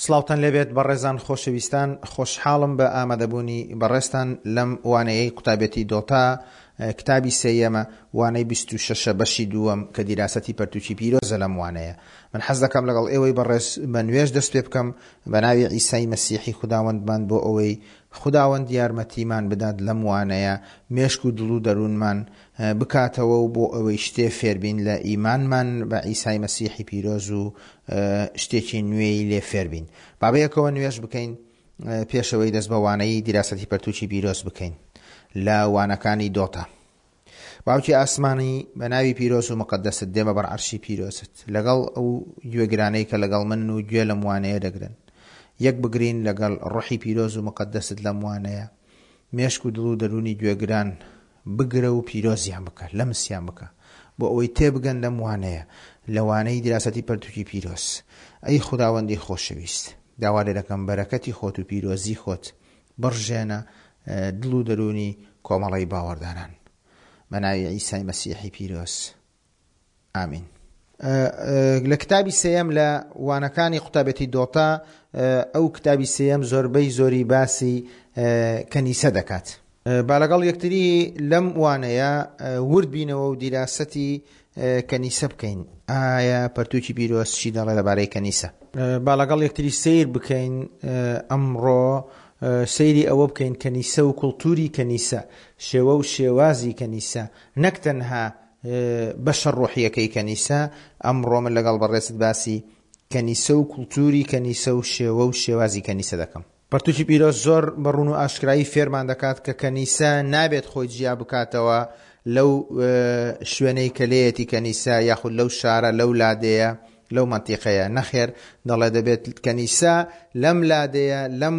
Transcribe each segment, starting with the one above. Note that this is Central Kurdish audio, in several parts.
سڵاوتان لێبێت بەڕێزان خۆشەویستان خۆشحاڵم بە ئامادەبوونی بەڕێزتان لەم وانەیەی قوتابێتی دۆتا کتابی سێیەمە وانەی 26 بەشی دووەم کە دیراسەتی پەرتوکی پیرۆزە لەم وانەیە من حەز دەکەم لەگەڵ ئێوەی بەڕێز بە نوێژ دەست پێ بکەم بە ناوی عیسای مەسیحی خوداوەندمان بۆ ئەوەی خوداوەند یارمەتیمان بدات لەم وانەیە مێشک و دڵ و دەروونمان بکاتەوە و بۆ ئەوەی شتێ فێربین لە ئیمانمان بە عیسای مەسیحی پیرۆز و شتێکی نوێی لێ فێربین. با بەیەکەوە نوێژ بکەین پێشەوەی دەست بە وانەی دیراسەتی پەرتوکی پیرۆز بکەین لە وانەکانی دۆتا. باوکی ئاسمانی بە ناوی پیرۆز و مقدست دێمە بەر عەرشی پیرۆزت لەگەڵ ئەو گوێگرانەی کە لەگەڵ منن و گوێ لەم وانەیە دەگرن یەک بگرین لەگەڵ ڕۆحی پیرۆز و مقدست لەم وانەیە مێشک و دڵ و دەروونی گوێگران بگرە و پیرۆزیان بکە، لەمسیان بکە، بۆ ئەوەی تێبگەن لەم وانەیە، لە وانەی دیراسەتی پەرتوکی پیرۆز. ئەی خوداوەندی خۆشەویست، داوا لێ دەکەم بەرەکەتی خۆت و پیرۆزی خۆت بڕژێنە دڵ و دەروونی کۆمەڵەی باوەڕداران. بە ناوی عیسای مەسیحی پیرۆز. ئامین. لە کتابی سێیەم لە وانەکانی قوتابێتی دۆتا ئەو کتابی سێیەم زۆربەی زۆری باسی کەنیسە دەکات. با لەگەڵ یەکتری لەم وانەیە ورد بینەوە و دیراسەتی کەنیسە بکەین. ئایا پەرتوکی پیرۆز چی دەڵێ لەبارەی کەنیسە؟ با لەگەڵ یەکتری سەیر بکەین ئەمڕۆ سەیری ئەوە بکەین کەنیسە و کولتوری کەنیسە، شێوە و شێوازی کەنیسە نەک تەنها بەشە ڕۆحییەکەی کەنیسە، ئەمڕۆ من لەگەڵ بەڕێزت باسی کەنیسە و کولتووری کەنیسە و شێوە و شێوازی کەنیسە دەکەم. پەرتوکی پیرۆز زۆر بە ڕوون و ئاشکرایی فێرمان دەکات کە کەنیسە نابێت خۆی جیا بکاتەوە لەو شوێنەی کە لێیەتی کەنیسە یاخود لەو شارە لەو لادێیە لەو مەنتیقەیە، نەخێر دەڵێ دەبێت کەنیسە لەم لادێیە لەم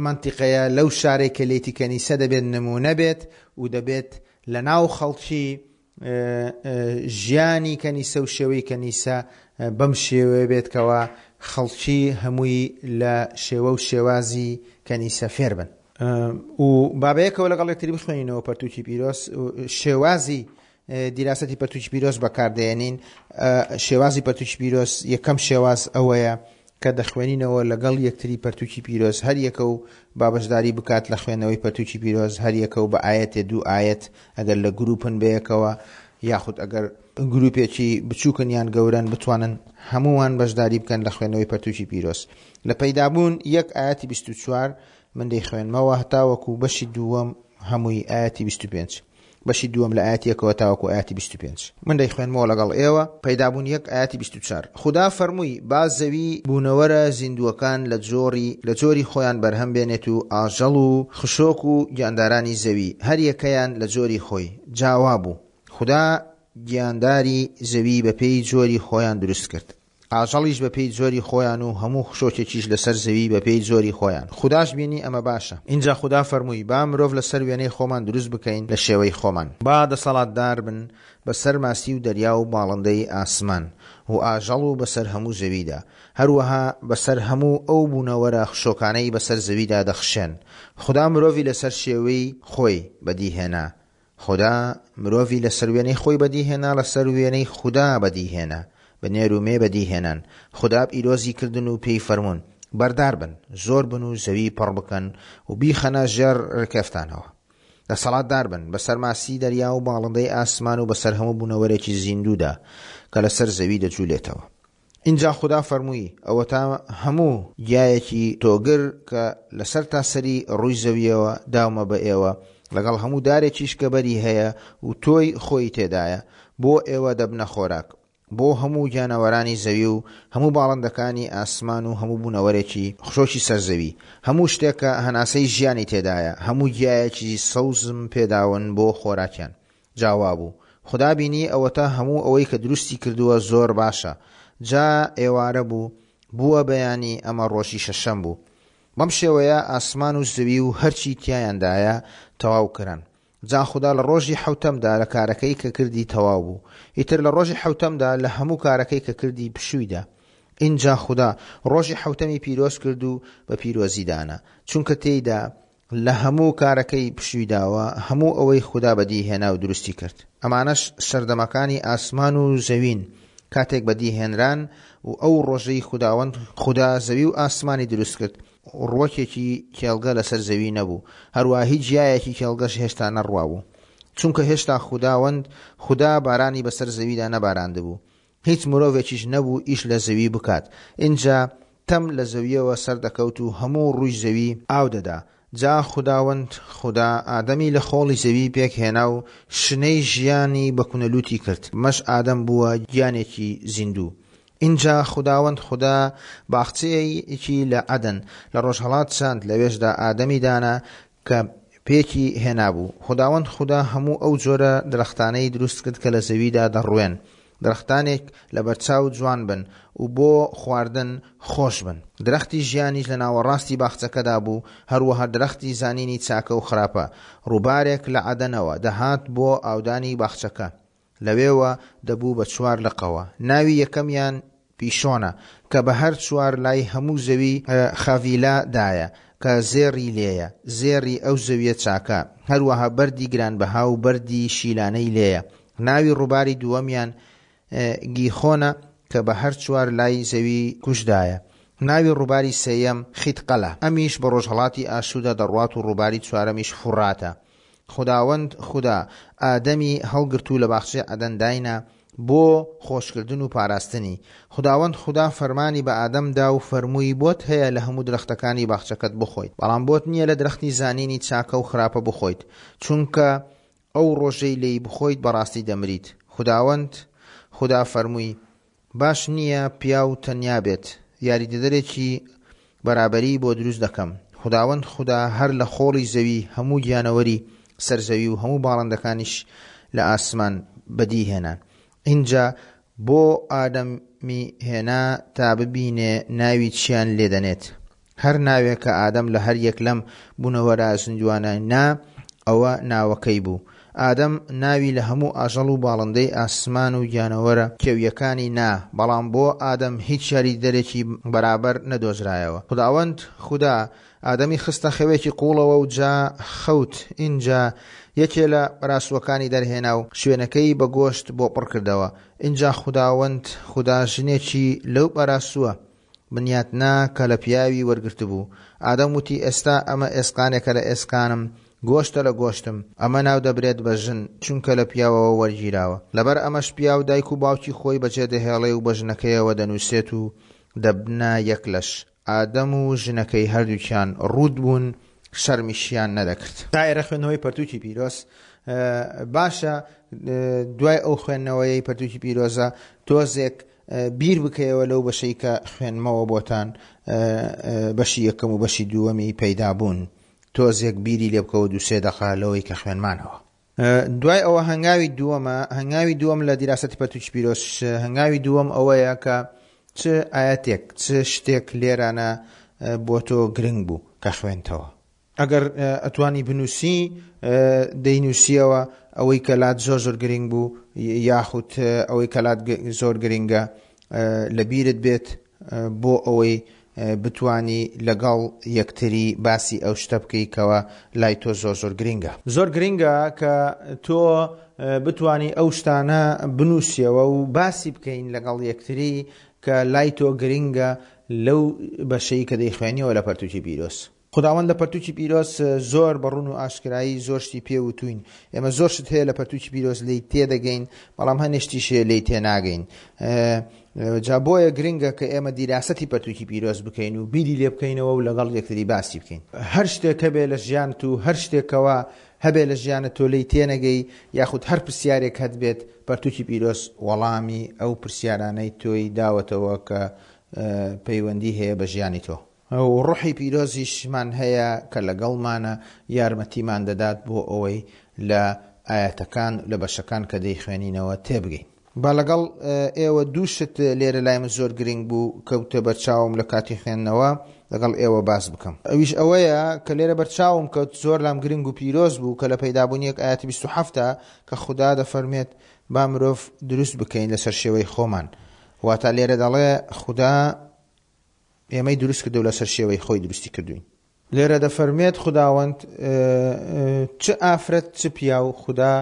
مەنتیقەیە لەو شارەی کە لێیتی کەنیسە دەبێت نموونە بێت و دەبێت لەناو خەڵکی ژیانی کەنیسە و شێوەی کەنیسە بەم شێوەیە بێت کەوا خەڵکی هەمووی لە شێوە و شێوازی کەنیسە فێر بن. و با بەیەکەوە لەگەڵ یەکتری بخوێنینەوە پەرتوکی پیرۆز شێوازی دیراسەتی پەرتوکی پیرۆز بەکاردێنین شێوازی پەرتوکی پیرۆز یەکەم شێواز ئەوەیە کە دەخوێنینەوە لەگەڵ یەکتری پەرتوکی پیرۆز هەر یەکە و با بەشداری بکات لە خوێندنەوەی پەرتوکی پیرۆز هەر یەکە و بە ئایەتێ دوو ئایەت ئەگەر لە گروپن بەیەکەوە یاخود ئەگەر گروپێکی بچووکن یان گەورەن بتوانن هەمووان بەشداری بکەن لە خوێندنەوەی پەرتوکی پیرۆز لە پەیدابوون یەک ئایەتی 24 من دەیخوێنمەوە هەتاوەکو بەشی دووەم هەمووی ئایەتی 25. بەشی دووەم لە ئایەتی یەکەوە تاوەکو ئایەتی 25. من دەیخوێنمەوە لەگەڵ ئێوە، پەیدابوون یەک ئایەتی 24. خودا فەرمووی، با زەوی بوونەوەرە زیندووەکان لە جۆری لە جۆری خۆیان بەرهەم بێنێت و ئاژەڵ و خشۆک و گیاندارانی زەوی، هەر یەکەیان لە جۆری خۆی. جا وابوو. خودا گیانداری زەوی بەپێی جۆری خۆیان دروست کرد. ئاژەڵیش بەپێی جۆری خۆیان و هەموو خشۆکێکیش لەسەر زەوی بەپێی جۆری خۆیان. خوداش بینی ئەمە باشە. ئینجا خودا فەرمووی، با مرۆڤ لەسەر وێنەی خۆمان دروست بکەین لە شێوەی خۆمان. با دەسەڵاتدار بن بەسەر ماسی و دەریا و باڵندەی ئاسمان و ئاژەڵ و بەسەر هەموو زەویدا، هەروەها بەسەر هەموو ئەو بوونەوەرە خشۆکانەی بەسەر زەویدا دەخشێن. خودا مرۆڤی لەسەر شێوەی خۆی بەدی هێنا، خودا مرۆڤی لەسەر وێنەی خۆی بەدی هێنا لەسەر وێنەی خودا بەدی هێنا بە نێر و مێ بەدی هێنان خودا پیرۆزی کردن و پێی فەرموون بەردار بن زۆر بن و زەوی پڕ بکەن و بیخەنە ژێر ڕکێفتانەوە دەسەڵاتدار بن بەسەر ماسی دەریا و باڵندەی ئاسمان و بەسەر هەموو بوونەوەرێکی زیندوودا کە لەسەر زەوی دەجولێتەوە. ئینجا خودا فەرمووی، ئەوەتا هەموو گیایەکی تۆگر کە لە سەرتاسەری ڕووی زەوییەوە داومە بە ئێوە، لەگەڵ هەموو دارێکیش کە بەری هەیە و تۆی خۆی تێدایە، بۆ ئێوە دەبنە خۆراک. بۆ هەموو گیانەوەرانی زەوی و هەموو باڵندەکانی ئاسمان و هەموو بوونەوەرێکی خشۆکی سەر زەوی، هەموو شتێک کە هەناسەی ژیانی تێدایە، هەموو گیایەکی سەوزم پێداون بۆ خۆراکیان. جا وابوو. خودا بینی ئەوەتا هەموو ئەوەی کە دروستی کردووە زۆر باشە. جا ئێوارە بوو، بووە بەیانی، ئەمە ڕۆژی شەشەم بوو. بەم شێوەیە ئاسمان و زەوی و هەرچی تیایاندایە تەواو کران. جا خودا لە ڕۆژی حەوتەمدا لە کارەکەی کە کردی تەواو بوو. ئیتر لە ڕۆژی حەوتەمدا لە هەموو کارەکەی کە کردی پشووی دا. ئینجا خودا ڕۆژی حەوتەمی پیرۆز کرد و بە پیرۆزی دانا، چونکە تێیدا لە هەموو کارەکەی پشووی داوە، هەموو ئەوەی خودا بەدیی هێنا و دروستی کرد. ئەمانەش سەردەمەکانی ئاسمان و زەوین کاتێک بەدی هێنران و ئەو ڕۆژەی خوداوەند خودا زەوی و ئاسمانی دروست کرد، ڕووەکێکی کێڵگە لەسەر زەوی نەبوو، هەروەها هیچ گیایەکی کێڵگەش هێشتا نەڕوابوو، چونکە هێشتا خوداوەند خودا بارانی بەسەر زەویدا نەباراندبوو، هیچ مرۆڤێکیش نەبوو ئیش لە زەوی بکات. ئینجا تەم لە زەوییەوە سەردەکەوت و هەموو ڕووی زەوی ئاو دەدا. جا خوداوەند خودا ئادەمی لە خۆڵی زەوی پێکهێنا و شنەی ژیانی بە کونەلووتی کرد، بەمەش ئادەم بووە گیانێکی زیندوو. ئینجا خوداوەند خودا باخچەیەکی لە عەدەن لە ڕۆژهەڵات چاند، لەوێشدا ئادەمی دانا کە پێکی هێنابوو. خوداوەند خودا هەموو ئەو جۆرە درەختانەی دروست کرد کە لە زەویدا دەڕوێن، درەختانێک لەبەرچاو جوان بن و بۆ خواردن خۆش بن. درەختی ژیانیش لە ناوەڕاستی باخچەکەدا بوو، هەروەها درەختی زانینی چاکە و خراپە. ڕووبارێک لە عەدەنەوە دەهات بۆ ئاودانی باخچەکە. لەوێوە دەبوو بە چوار لقەوە. ناوی یەکەمیان پیشۆنە، کە بە هەر چوار لای هەموو زەوی خاڤیلا دایە، کە زێڕی لێیە، زێڕی ئەو زەویە چاکە، هەروەها بەردی گرانبەها و بەردی شیلانەی لێیە. ناوی ڕووباری دووەمیان گیخۆنە، کە بە هەر چوار لای زەوی کوشدایە. ناوی ڕووباری سێیەم خیتقەلە، ئەمیش بە ڕۆژهەڵاتی ئاشووردا دەڕوات و ڕووباری چوارەمیش فوڕاتە. خوداوەند خودا ئادەمی هەڵگرت و لە باخچەی عەدەن داینا بۆ خۆشکردن و پاراستنی. خوداوەند خودا فەرمانی بە ئادەم دا و فەرمووی بۆت هەیە لە هەموو درەختەکانی باخچەکەت بخۆیت، بەڵام بۆت نییە لە درەختی زانینی چاکە و خراپە بخۆیت، چونکە ئەو ڕۆژەی لێی بخۆیت بەڕاستی دەمریت. خوداوەند خودا فەرمووی باش نییە پیاو تەنیا بێت، یاریدەدەرێکی بەرابەری بۆ دروست دەکەم. خوداوەند خودا هەر لە خۆڵی زەوی هەموو گیانەوەری سەر زەوی و هەموو باڵندەکانیش لە ئاسمان بەدی هێنان. ئینجا بۆ ئادەمی هێنا تا ببینێ ناوی چیان لێ دەنێت. هەر ناوێک کە ئادەم لە هەر یەک لەم بوونەوەرە زیندووانە نا، ئەوە ناوەکەی بوو. ئادەم ناوی لە هەموو ئاژەڵ و باڵندەی ئاسمان و گیانەوەرە کێوییەکانی نا، بەڵام بۆ ئادەم هیچ یاریدەدەرێکی بەرابەر نەدۆزرایەوە. خوداوەند خودا ئادەمی خستە خەوێکی قووڵەوە و جا خەوت، ئینجا یەکێ لە بەراسووەکانی دەرهێنا و شوێنەکەی بە گۆشت بۆ پڕ کردەوە. ئینجا خوداوەند خودا ژنێکی لەو بەراسووە بنیاتنا کە لە پیاوی وەرگرتبوو. ئادەم وتی، ئێستا ئەمە ئێسقانێکە لە ئێسقانم، گۆشتە لە گۆشتم. ئەمە ناودەبرێت بە ژن، چونکە لە پیاوەوە وەرگیراوە. لەبەر ئەمەش پیاو دایک و باوکی خۆی بەجێدەهێڵێ و بە ژنەکەیەوە دەنووسێت و دەبنە یەک لەش. ئادەم و ژنەکەی هەردووکیان ڕووت بوون، شەرمیشیان نەدەکرد. تا ئێرە خوێندنەوەی پەرتووکی پیرۆز باشە، دوای ئەو خوێندنەوەیەی پەرتووکی پیرۆزە تۆزێک بیر بکەیەوە لەو بەشەی کە خوێندمەوە بۆتان بەشی یەکەم و بەشی دووەمی پەیدا بوون تۆزێک بیری لێ بکەوە دووسێ دەقە لەوەی کە خوێنمانەوە. دوای ئەوە هەنگاوی دووەمە هەنگاوی دووەم لە دیراسەتی پەرتوکی پیرۆز هەنگاوی دووەم ئەوەیە کە چ ئاەتێک چ شتێک لێرانە بۆ تۆ گرنگ بوو کە خوێنتەوە. ئەگەر ئەتوانی بنووسی دەینووسیەوە ئەوەی کە لات زۆر زۆر گرنگ بوو یاخود ئەوەی کە لات زۆر گرنگە لە بیرت بێت بۆ ئەوەی بتانی لەگەڵ یەکتری باسی ئەو شتە بکەی کەەوە لای تۆ زۆر زۆر گرنگە. زۆر گرنگە کە تۆ بتانی ئەو شتانە بنووسیەوە و باسی بکەین لەگەڵ یەکتری کە لای تۆ گرنگە لەو بەشەی کە دەیخوێنیەوە لە پەرتوکی پیرۆز. خوداوەند لە پەرتوکی پیرۆز زۆر بە ڕوون و ئاشکرایی زۆر شتی پێ وتووین. ئێمە زۆر شت هەیە لە پەرتوکی پیرۆز لێی تێدەگەین، بەڵام هەنێ شتیش هەیە لێی تێناگەین. جا بۆیە گرنگە کە ئێمە دیراسەتی پەرتوکی پیرۆز بکەین و بیری لێ بکەینەوە و لەگەڵ یەکتری باسی بکەین. هەر شتێک هەبێ لە ژیانت و هەر شتێکەوە هەبێ لە ژیانت تۆ لێی تێنەگەی یاخود هەر پرسیارێک هەتبێت پەرتوکی پیرۆز وەڵامی ئەو پرسیارانەی تۆی داوەتەوە کە پەیوەندی هەیە بە ژیانی تۆ. و ڕۆحی پیرۆزیشمان هەیە کە لەگەڵمانە یارمەتیمان دەدات بۆ ئەوەی لە ئایەتەکان لە بەشەکان کە دەیخوێنینەوە تێبگەین. با لەگەڵ ئێوە دوو شت لێرە لای من زۆر گرنگ بوو کەوتە بەرچاوم لە کاتی خوێندنەوە لەگەڵ ئێوە باس بکەم. ئەویش ئەوەیە کە لێرە بەرچاوم کەوت زۆر لام گرنگ و پیرۆز بوو کە لە پەیدابوونی یەک ئایەتی 27 کە خودا دەفەرمێت با مرۆڤ دروست بکەین لەسەر شێوەی خۆمان واتە لێرە دەڵێ خودا ئێمەی دروست کردو لەسەر شێوەی خۆی دروستی کردوین. لێرە دەفەرموێت خوداوەند چ ئافرەت چ پیاو خودا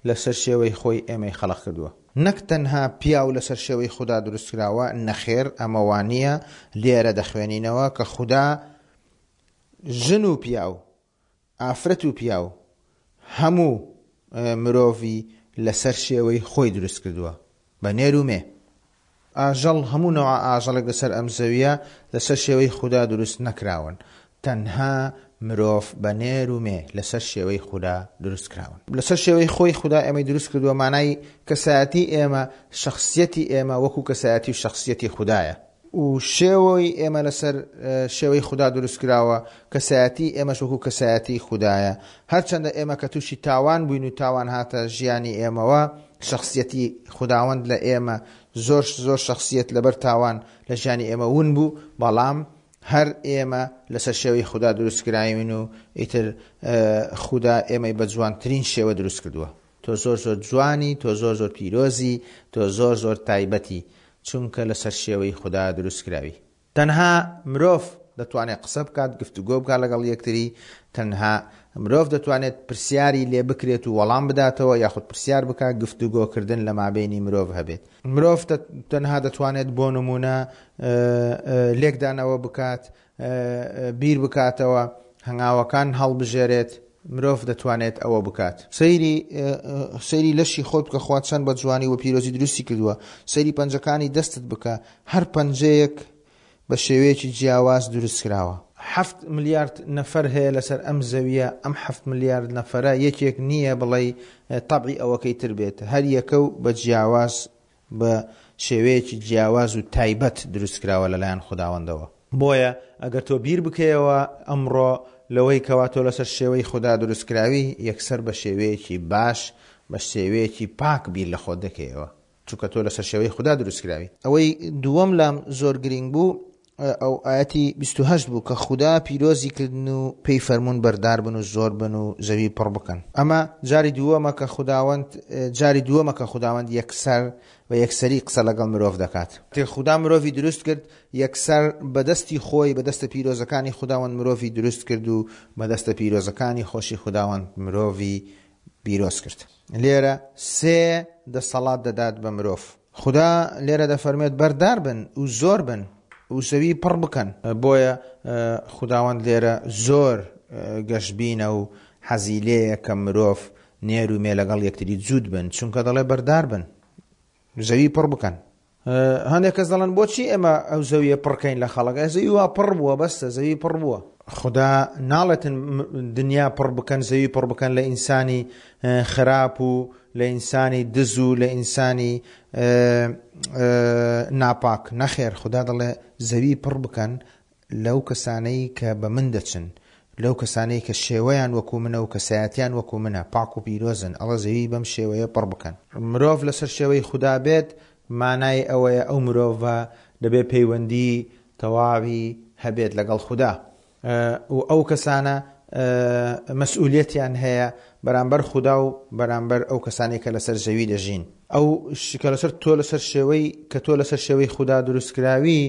لەسەر شێوەی خۆی ئێمەی خەڵق کردووە. نەک تەنها پیاو لەسەر شێوەی خودا دروستکراوە، نەخێر ئەمە وانییە، لێرە دەخوێنینەوە کە خودا ژن و پیاو، ئافرەت و پیاو، هەموو مرۆڤی لەسەر شێوەی خۆی دروست کردووە، بە نێر و مێ. ئاژەڵ، هەموو نەوعە ئاژەڵێک لەسەر ئەم زەوییە لەسەر شێوەی خودا دروست نەکراون، تەنها مرۆڤ بە نێر و مێ لەسەر شێوەی خودا دروست کراون. لەسەر شێوەی خۆی خودا ئێمەی دروست کردووە، مانای کەسایەتی ئێمە، شەخسیەتی ئێمە وەکو کەسایەتی و شەخسیەتی خودایە. و شێوەی ئێمە لەسەر شێوەی خودا دروست کراوە، کەسایەتی ئێمەش وەکو کەسایەتی خودایە. هەرچەندە ئێمە کە تووشی تاوان بووین و تاوان هاتە ژیانی ئێمەوە، شەخسیەتی خوداوەند لە ئێمە زۆر زۆر شەخسیەت لەبەر تاوان لە ژیانی ئێمە ون بوو، بەڵام هەر ئێمە لەسەر شێوەی خودا دروست کراوین و ئیتر خودا ئێمەی بە جوانترین شێوە دروست کردووە. تۆ زۆر زۆر جوانی، تۆ زۆر زۆر پیرۆزی، تۆ زۆر زۆر تایبەتی، چونکە لەسەر شێوەی خودا دروست کراوی. تەنها مرۆڤ دەتوانێت قسە بکات، گفتوگۆ بکات لەگەڵ یەکتری، تەنها مرۆڤ دەتوانێت پرسیاری لێ بکرێت و وەڵام بداتەوە یاخود پرسیار بکات، گفتوگۆکردن لە مابەینی مرۆڤ هەبێت. مرۆڤ تەنها دەتوانێت بۆ نموونە لێکدانەوە بکات، بیر بکاتەوە، هەنگاوەکان هەڵبژێرێت، مرۆڤ دەتوانێت ئەوە بکات. سەیری سەیری لەشی خۆت بکە خوا چەند بە جوانی و پیرۆزی دروستی کردووە، سەیری پەنجەکانی دەستت بکە، هەر پەنجەیەک بە شێوەیەکی جیاواز دروست کراوە. حەفت ملیارد نەفەر هەیە لەسەر ئەم زەویە، ئەم حەفت ملیارد نەفەرە یەکێک نییە بڵێی تەبعی ئەوەکەی تر بێت، هەر یەکە و بە جیاواز بە شێوەیەکی جیاواز و تایبەت دروست کراوە لەلایەن خوداوەندەوە. بۆیە ئەگەر تۆ بیر بکەیەوە ئەمڕۆ لەوەی کەوا تۆ لەسەر شێوەی خودا دروست کراوی، یەکسەر بە شێوەیەکی باش، بە شێوەیەکی پاک بیر لە خۆت دەکەیەوە. چونکە تۆ لەسەر شێوەی خودا دروست کراوی. ئەوەی دووەم لام زۆر گرینگ بوو ئەو ئایەتی 28 بوو کە خودا پیرۆزی کردن و پێی فەرموون بەردار بن و زۆر بن و زەوی پڕ بکەن. ئەمە جاری دووەمە کە خوداوەند جاری دووەمە کە خوداوەند یەکسەر بە یەکسەری قسە لەگەڵ مرۆڤ دەکات. کاتێک خودا مرۆڤی دروست کرد یەکسەر بە دەستی خۆی بە دەستە پیرۆزەکانی خوداوەند مرۆڤی دروست کرد و بە دەستە پیرۆزەکانی خۆشی خوداوەند مرۆڤی پیرۆز کرد. لێرە سێ دەسەڵات دەدات بە مرۆڤ. خودا لێرە دەفەرموێت بەردار بن و زۆر بن و زەوی پڕ بکەن. بۆیە خوداوەند لێرە زۆر گەشبینە و حەزی لێیە کە مرۆڤ نێر و مێ لەگەڵ یەکتری جووت بن، چونکە دەڵێ بەردار بن زەوی پڕ بکەن. هەندێک کەس دەڵێن بۆچی ئێمە ئەو زەویە پڕکەین لە خەڵک ئە زەوی وا پڕ بووە بەستە زەوی پڕ بووە. خودا ناڵێتن دنیا پڕ بکەن زەوی پڕ بکەن لە ئینسانی خراپ و لە ئینسانی دز و لە ئینسانی ناپاک نەخێر خودا دەڵێ زەوی پڕ بکەن لەو کەسانەی کە بە من دەچن، لەو کەسانەی کە شێوەیان وەکو منە و کەسایەتیان وەکو منە، پاک و پیرۆزن، ئەڵە زەوی بەم شێوەیە پڕ بکەن. مرۆڤ لەسەر شێوەی خودا بێت، مانای ئەوەیە ئەو مرۆڤە دەبێت پەیوەندی تەواوی هەبێت لەگەڵ خودا و ئەو کەسانە مەسئولیەتیان هەیە بەرامبەر خودا و بەرامبەر ئەو کەسانەی کە لەسەر زەوی دەژین. ئەو کە لەسەر تۆ لەسەر شێوەی کە تۆ لەسەر شێوەی خودا دروستکراوی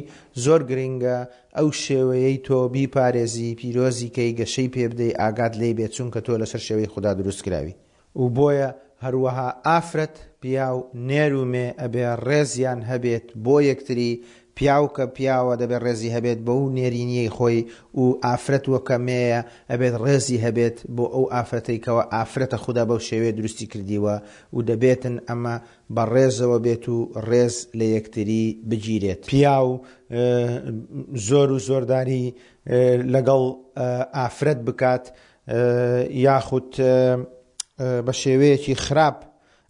زۆر گرینگە ئەو شێوەیەی تۆ بیپارێزی پیرۆزی کەی گەشەی پێ بدەی ئاگات لێی بێت چونکە تۆ لەسەر شێوەی خودا دروستکراوی و بۆیە هەروەها ئافرەت پیاو نێر و مێ ئەبێ ڕێزیان هەبێت بۆ یەکتری پیاو کە پیاوە دەبێت ڕێزی هەبێت بەو نێرینیەی خۆی و ئافرەت وە کە مێیە ئەبێت ڕێزی هەبێت بۆ ئەو ئافرەتەی کەوا ئافرەتە خودا بەو شێوەیە دروستی کردیوە و دەبێتن ئەمە بە ڕێزەوە بێت و ڕێز لە یەکتری بگیرێت. پیاو زۆر و زۆرداری لەگەڵ ئافرەت بکات یاخود بە شێوەیەکی خراپ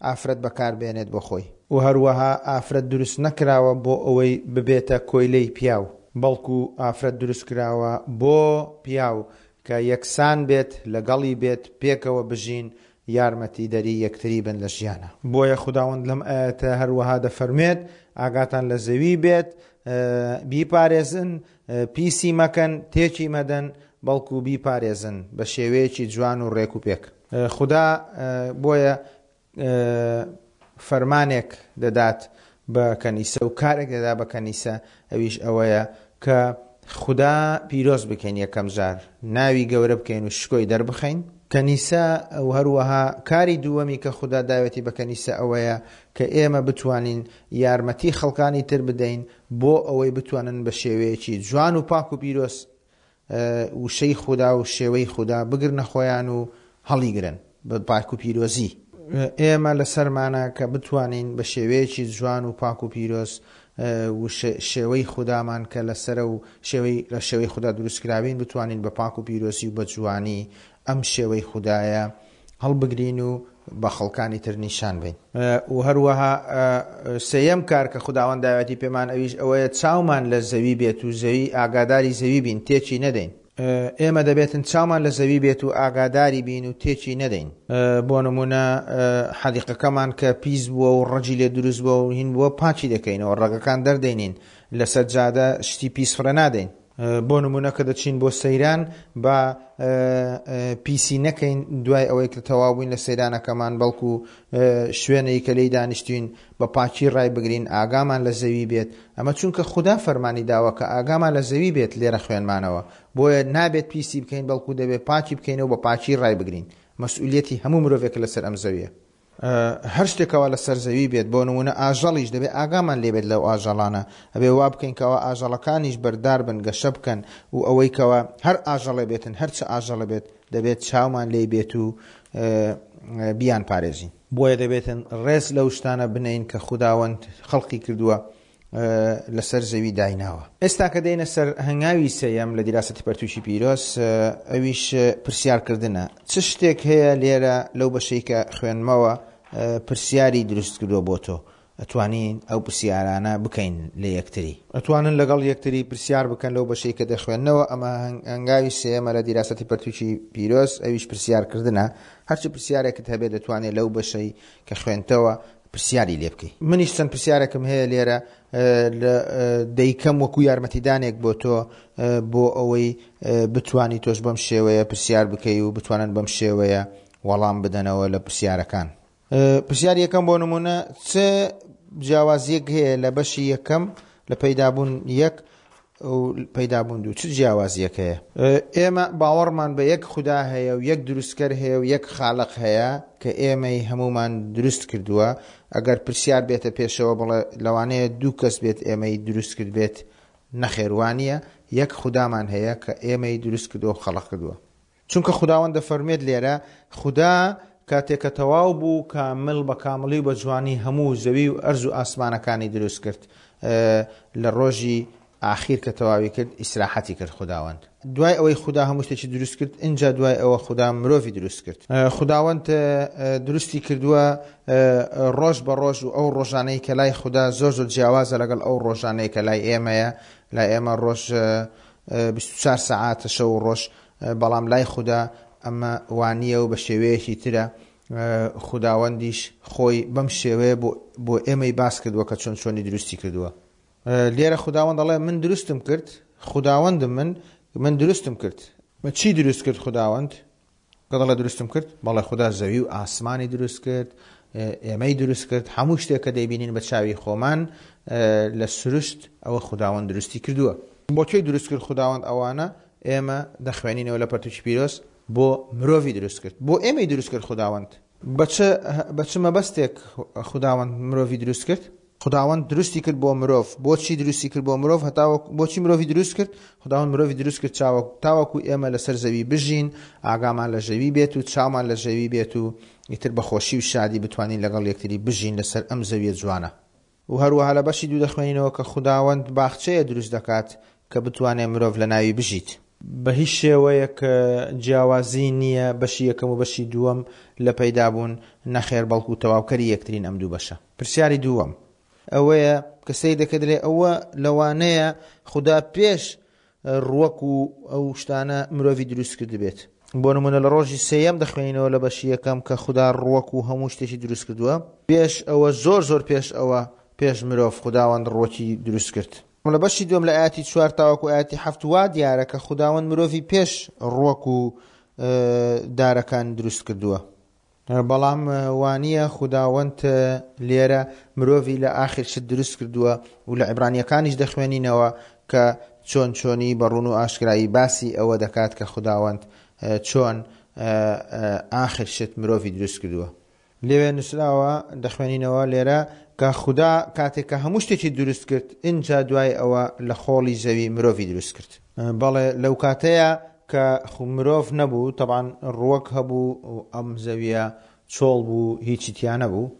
ئافرەت بەکار بێنێت بۆ خۆی. و هەروەها ئافرەت دروست نەکراوە بۆ ئەوەی ببێتە کۆیلەی پیاو، بەڵکو ئافرەت دروست کراوە بۆ پیاو کە یەکسان بێت لەگەڵی بێت پێکەوە بژین یارمەتیدەری یەکتری بن لە ژیانا. بۆیە خوداوەند لەم ئایەتە هەروەها دەفەرموێت، ئاگاتان لە زەوی بێت، بیپارێزن، پیسی مەکەن، تێکی مەدەن، بەڵکو بیپارێزن بە شێوەیەکی جوان و ڕێک و پێک. خودا بۆیە فەرمانێک دەدات بە کەنیسە و کارێک دەدا بە کەنیسە ئەویش ئەوەیە کە خودا پیرۆز بکەین یەکەم جار ناوی گەورە بکەین و شکۆی دەربخەین. کەنیسە و هەروەها کاری دووەمی کە خودا داوێتی بە کەنیسە ئەوەیە کە ئێمە بتوانین یارمەتی خەڵکانی تر بدەین بۆ ئەوەی بتوانن بە شێوەیەکی جوان و پاک و پیرۆز وشەی خودا و شێوەی خودا بگرنە خۆیان و هەڵیگرن بە پاک و پیرۆزی. ئێمە لەسەرمانە کە بتوانین بە شێوەیەکی جوان و پاک و پیرۆز شێوەی خودامان کە لەسەرە و شێوەی لە شێوەی خودا دروستکراوین بتوانین بە پاک و پیرۆزی و بە جوانی ئەم شێوەی خودایە هەڵبگرین و بە خەڵکانی تر نیشان بەین. و هەروەها سێیەم کار کە خوداوەند داوێتی پێمان ئەویش ئەوەیە چاومان لە زەوی بێت و زەوی ئاگاداری زەوی بین تێکی نەدەین. ئێمە دەبێتن چاومان لە زەوی بێت و ئاگاداری بین و تێکی نەدەین. بۆ نموونە حەدیقەکەمان کە پیس بووە و ڕەگی لێ دروست بووە و هین بووە پاکی دەکەینەوە، ڕەگەکان دەردەینین، لەسەر جادە شتی پیس فڕێ نادەین. بۆ نموونە کە دەچین بۆ سەیران با پیسی نەکەین دوای ئەوەی کە تەواو بووین لە سەیرانەکەمان، بەڵکو شوێنەی کە لێی دانیشتوین بە پاکی ڕایبگرین، ئاگامان لە زەوی بێت، ئەمە چونکە خودا فەرمانی داوە کە ئاگامان لە زەوی بێت لێرە خوێنمانەوە، بۆیە نابێت پیسی بکەین بەڵکو دەبێت پاکی بکەینەوە بە پاکی ڕایبگرین، مەسئولیەتی هەموو مرۆڤێکە لەسەر ئەم زەویە. هەر شتێک کەوا لەسەر زەوی بێت بۆ نموونە ئاژەڵیش دەبێت ئاگامان لێ بێت لەو ئاژەڵانە، ئەبێ وا بکەین کەوا ئاژەڵەکانیش بەردار بن گەشە بکەن و ئەوەی کەوا هەر ئاژەڵێ بێتن هەر چ ئاژەڵێ بێت دەبێت چاومان لێی بێت و بیان پارێزین. بۆیە دەبێتن ڕێز لەو شتانە بنێین کە خوداوەند خەڵقی کردووە لەسەر زەوی دایناوە. ئێستا کە دێینە سەر هەنگاوی سێیەم لە دیراسەتی پەرتووکی پیرۆز ئەویش پرسیارکردنە. چ شتێک هەیە لێرە لەو بەشەی کە خوێندمەوە پرسیاری دروست کردووە بۆ تۆ؟ ئەتوانین ئەو پرسیارانە بکەین لە یەکتری. ئەتوانن لەگەڵ یەکتری پرسیار بکەن لەو بەشەی کە دەخوێننەوە، ئەمە هەنگاوی سێیەمە لە دیراسەتی پەرتووکی پیرۆز، ئەویش پرسیارکردنە، هەرچی پرسیارێکت هەبێت دەتوانێت لەو بەشەی کە خوێندتەوە پرسیاری لێ بکەی. منیش چەند پرسیارێکم هەیە لێرە دەیکەم وەکو یارمەتیدانێک بۆ تۆ بۆ ئەوەی بتوانی تۆش بەم شێوەیە پرسیار بکەی و بتوانن بەم شێوەیە وەڵام بدەنەوە لە پرسیارەکان. پرسیاری یەکەم بۆ نمونە چ جیاوازیەک هەیە لە بەشی یەکەم لە پەیدابوون یەک و پەیدابوون دوو چ جیاوازیەک هەیە؟ ئێمە باوەڕمان بە یەک خودا هەیە و یەک دروستکەر هەیە و یەک خالق هەیە کە ئێمەی هەموومان دروست کردووە ئەگەر پرسیار بێتە پێشەوە بڵێ لەوانەیە دوو کەس بێت ئێمەی دروست کرد بێت نەخێر وانیە یەک خودامان هەیە کە ئێمەی دروست کردووە و خەڵق کردووە. چونکە خوداوەند دەفەرموێت لێرە، خودا کاتێ کە تەواو بوو کامل بە کامڵی و بە جوانی هەموو زەوی و ئەرز و ئاسمانەکانی دروست کرد، لە ڕۆژی ئاخیر کە تەواوی کرد ئیسراحەتی کرد خوداوەند. دوای ئەوەی خودا هەموو شتێکی دروست کرد، ئینجا دوای ئەوە خودا مرۆڤی دروست کرد. خوداوەند دروستی کردووە ڕۆژ بە ڕۆژ و ئەو ڕۆژانەی کە لای خودا زۆر زۆر جیاوازە لەگەڵ ئەو ڕۆژانەی کە لای ئێمەیە، لای ئێمە ڕۆژ 24 سەعاتە شەو و ڕۆژ، بەڵام لای خودا ئەمە وانییە و بە شێوەیەکی ترە، خوداوەندیش خۆی بەم شێوەیە بۆ ئێمەی باس کردووە کە چۆن چۆنی دروستی کردووە. لێرە خوداوەند دەڵێ من دروستم کرد، خوداوەندم من، من دروستم کرد. چی دروست کرد خوداوەند؟ کە دەڵێ دروستم کرد، بەڵێ خودا زەوی و ئاسمانی دروست کرد، ئێمەی دروست کرد، هەموو شتێک کە دەیبینین بە چاوی خۆمان لە سروشت ئەوە خوداوەند دروستی کردووە. بۆ کێی دروست کرد خوداوەند ئەوانە؟ ئێمە دەخوێنینەوە لە پەرتوکی پیرۆز بۆ مرۆڤی دروست کرد. بۆ ئێمەی دروست کرد خوداوەند. بە چ بە چ مەبەستێک خوداوەند مرۆڤی دروست کرد؟ خوداوەند دروستی کرد بۆ مرۆڤ. بۆچی دروستی کرد بۆ مرۆڤ؟ هەتاوەکو بۆچی مرۆڤی دروست کرد؟ خوداوەند مرۆڤی دروست کرد چاوەک تاوەکو ئێمە لەسەر زەوی بژین، ئاگامان لە ژەوی بێت و چاومان لە ژەوی بێت و ئیتر بە خۆشی و شادی بتوانین لەگەڵ یەکتری بژین لەسەر ئەم زەویە جوانە. و هەروەها لە بەشی دوو دەخوێنینەوە کە خوداوەند باخچەیە دروست دەکات کە بتوانێ مرۆڤ لە ناوی بژیت. بە هیچ شێوەیەک جیاوازی نییە بەشی یەکەم و بەشی دووەم لە پەیدابوون، نەخێر بەڵکو تەواوکەری یەکترین ئەم دوو بەشە. پرسیاری دووەم ئەوەیە کە سەیر دەکەی دەلێ ئەوە لەوانەیە خودا پێش ڕوەک و ئەو شتانە مرۆڤی دروست کردبێت. بۆ نمونە لە ڕۆژی سێیەم دەخوێنینەوە لە بەشی یەکەم کە خودا ڕوەک و هەموو شتێکی دروست کردووە. پێش ئەوە زۆر زۆر پێش ئەوە پێش مرۆڤ خوداوەند ڕوەکی دروست کرد. لە بەشی دووەم لە ئایەتی چوار تاوەکو ئایەتی حەفت وا دیارە کە خوداوەند مرۆڤی پێش ڕوەک و دارەکان دروست کردووە. بەڵام وانیە خوداوەند لێرە مرۆڤی لە ئاخر شت دروست کردووە و لە عیبرانیەکانیش دەخوێنینەوە کە چۆن چۆنی بە ڕوون و ئاشکرایی باسی ئەوە دەکات کە خوداوەند چۆن ئاخر شت مرۆڤی دروست کردووە. لەوێ نووسراوە دەخوێنینەوە لێرە کە خودا کاتێک کە هەموو شتێکی دروست کرد ئینجا دوای ئەوە لە خۆڵی زەوی مرۆڤی دروست کرد. بەڵێ لەو کاتەیە کە مرۆڤ نەبوو تەبعەن ڕووەک هەبوو و ئەم زەویە چۆڵ بوو هیچی تیا نەبوو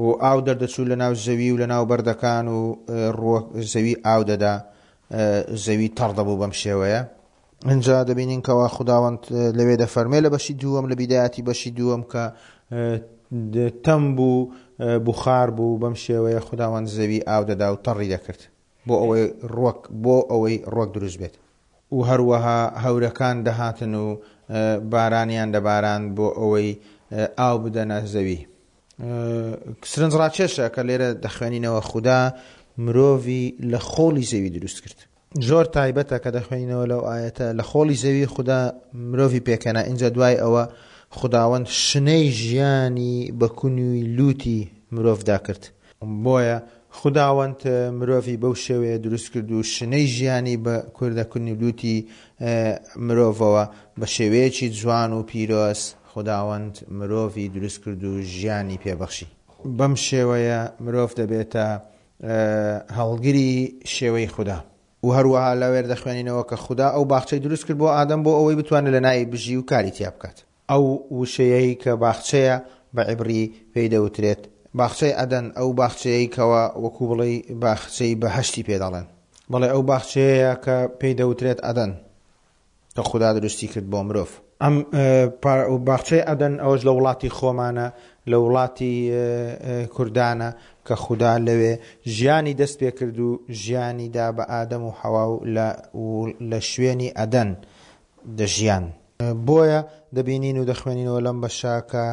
و ئاو دەردەچوو لە ناو زەوی و لە ناو بەردەکان و ڕووەک زەوی ئاو دەدا زەوی تەڕ دەبوو بەم شێوەیە. ئینجا دەبینین کەوا خوداوەند لەوێ دەفەرمێ لە بەشی دووەم لە بیدایەتی بەشی دووەم کە تەم بوو بوخار بوو بەم شێوەیە خوداوەند زەوی ئاو دەدا و تەڕی دەکرد بۆ ئەوەی ڕوەک بۆ ئەوەی ڕوەک دروست بێت و هەروەها هەورەکان دەهاتن و بارانیان دەباراند بۆ ئەوەی ئاو بدەنە زەوی. سرنجڕاکێشە کە لێرە دەخوێنینەوە خودا مرۆڤی لە خۆڵی زەوی دروست کرد. زۆر تایبەتە کە دەخوێنینەوە لەو ئایەتە لە خۆڵی زەوی خودا مرۆڤی پێکهێنا ئینجا دوای ئەوە خوداوەند شنەی ژیانی بە کونی لوتی مرۆڤدا کرد. بۆیە خوداوەند مرۆڤی بەو شێوەیە دروست کرد و شنەی ژیانی بە کوردە کونی لوتی مرۆڤەوە بە شێوەیەکی جوان و پیرۆز خوداوەند مرۆڤی دروست کرد و ژیانی پێ بەخشی. بەم شێوەیە مرۆڤ دەبێتە هەڵگری شێوەی خودا. و هەروەها لەوێر دەخوێنینەوە کە خودا ئەو باخچەی دروست کرد بۆ ئادەم بۆ ئەوەی بتوانێت لە ناوی بژی و کاری تیا بکات. ئەو وشەیەی کە باخچەیە بە عیبری پێی دەوترێت باخچەی عەدەن، ئەو باخچەیەی کەوا وەکو بڵێی باخچەی بەهەشتی پێ دەڵێن. بەڵێ ئەو باخچەیەیە کە پێی دەوترێت عەدەن کە خودا دروستی کرد بۆ مرۆڤ. ئەم باخچەی عەدەن ئەوەش لە وڵاتی خۆمانە، لە وڵاتی کوردانە کە خودا لەوێ ژیانی دەست پێ کرد و ژیانی دا بە ئادەم و حەوا و لە شوێنی عەدەن دەژیان. بۆیە دەبینین و دەخوێنینەوە لەم بەشە کە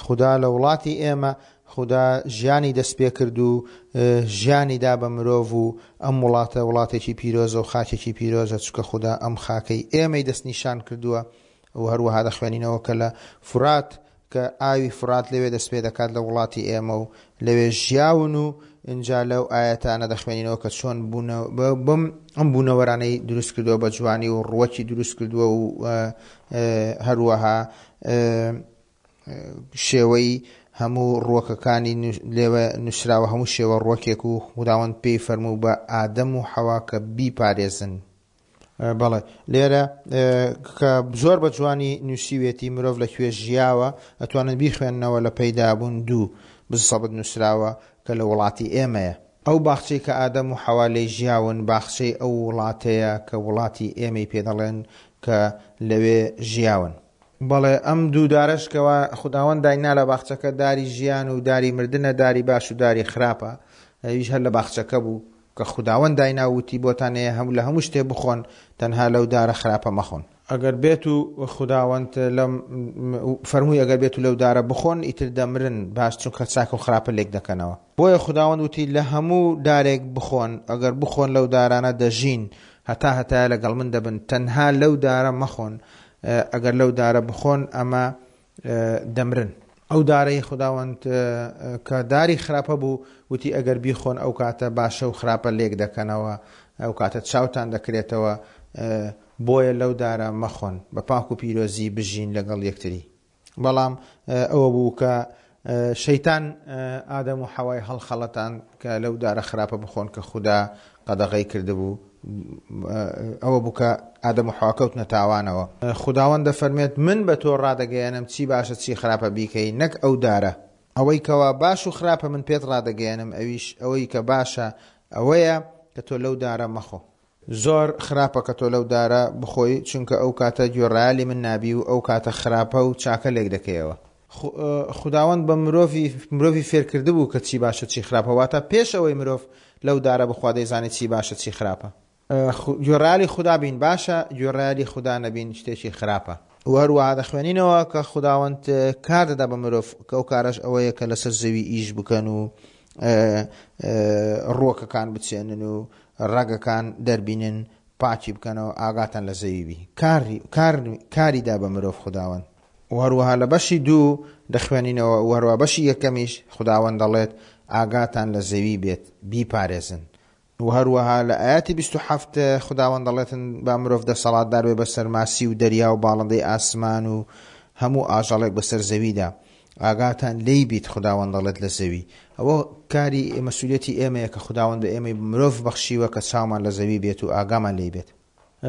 خودا لە وڵاتی ئێمە خودا ژیانی دەست پێکرد و ژیانی دا بە مرۆڤ و ئەم وڵاتە وڵاتێکی پیرۆزە و خاکێکی پیرۆزە چونکە خودا ئەم خاکەی ئێمەی دەستنیشان کردووە و هەروەها دەخوێنینەوە کە لە فورات کە ئاوی فورات لەوێ دەست پێ دەکات لە وڵاتی ئێمە و لەوێ ژیاون و ئینجا لەو ئایەتانە دەخوێنینەوە کە چۆن بوونە بەم ئەم بوونەوەرانەی دروست کردووە بە جوانی و ڕوەکی دروست کردووە و هەروەها شێوەی هەموو ڕوەکەکانی لێوە نووسراوە هەموو شێوە ڕوەکێک و خوداوەند پێی فەرموو بە ئادەم و حەوا کە بیپارێزن. بەڵێ لێرە کە زۆر بە جوانی نووسیوێتی مرۆڤ لە کوێ ژیاوە ئەتوانن بیخوێننەوە لە پەیدابوون دوو بزەبت نووسراوە کە لە وڵاتی ئێمەیە. ئەو باخچەی کە ئادەم و حەوا لێی ژیاون باخچەی ئەو وڵاتەیە کە وڵاتی ئێمەی پێ دەڵێن کە لەوێ ژیاون. بەڵێ ئەم دوو دارەش کەوا خوداوەند داینا لە باخچەکە داری ژیان و داری مردنە داری باش و داری خراپە ئەویش هەر لە باخچەکە بوو کە خوداوەند داینا و وتی بۆتان هەیە هەموو لە هەموو شتێ بخۆن تەنها لەو دارە خراپە مەخۆن. ئەگەر بێت و خوداوەند لەم فەرمووی ئەگەر بێت و لەو دارە بخۆن ئیتر دەمرن باش چونکە چاکە و خراپە لێک دەکەنەوە. بۆیە خوداوەند وتی لە هەموو دارێک بخۆن ئەگەر بخۆن لەو دارانە دەژین هەتا هەتایە لەگەڵ من دەبن تەنها لەو دارە مەخۆن ئەگەر لەو دارە بخۆن ئەمە دەمرن. ئەو دارەی خوداوەند کە داری خراپە بوو وتی ئەگەر بیخۆن ئەو کاتە باشە و خراپە لێک دەکەنەوە ئەو کاتە چاوتان دەکرێتەوە بۆیە لەو دارە مەخۆن بە پاک و پیرۆزی بژین لەگەڵ یەکتری. بەڵام ئەوە بوو کە شەیتان ئادەم و حەوای هەڵخەڵەتاند کە لەو دارە خراپە بخۆن کە خودا قەدەغەی کردبوو، ئەوە بوو کە ئادەم و حەوا کەوتنە تاوانەوە. خوداوەند دەفەرموێت، من بە تۆ ڕادەگەیەنم چی باشە چی خراپە بیکەی، نەک ئەو دارە. ئەوەی کەوا باش و خراپە من پێت ڕادەگەیەنم، ئەویش ئەوەی کە باشە ئەوەیە کە تۆ لەو دارە مەخۆ. زۆر خراپە کە تۆ لەو دارە بخۆی، چونکە ئەو کاتە گوێڕایەلی من نابی و ئەو کاتە خراپە و چاکە لێک دەکەیەوە. خوداوەند بە مرۆڤی مرۆڤی فێرکردبوو کە چی باشە چی خراپە، واتە پێش ئەوەی مرۆڤ لەو دارە بخوا دەیزانی چی باشە چی خراپە. گوێڕایەلی خودا بین باشە، گوێڕایەلی خودا نەبین شتێکی خراپە. وە هەروەها دەخوێنینەوە کە خوداوەند کار دەدا بە مرۆڤ، کە ئەو کارەش ئەوەیە کە لەسەر زەوی ئیش بکەن و ڕووەکەکان بچێنن و ڕەگەکان دەربینن پاکی بکەنەوە ئاگاتان لە زەوی بی کاری کار کاری دا بە مرۆڤ خوداوەند. و هەروەها لە بەشی دوو دەخوێنینەوە و هەروە بەشی یەکەمیش خوداوەند دەڵێت ئاگاتان لە زەوی بێت بیپارێزن و هەروەها لە ئایەتی 27 خوداوەند دەڵێتن با مرۆڤ دەسەڵاتدار بێ بەسەر ماسی و دەریا و باڵندەی ئاسمان و هەموو ئاژەڵێک بەسەر زەویدا. ئاگاتان لێی بیت خوداوەند دەڵێت لە زەوی. ئەوە کاری مەسئولیەتی ئێمەیە کە خوداوەند بە ئێمەی مرۆڤ بەخشیوە کە چاومان لە زەوی بێت و ئاگامان لێی بێت.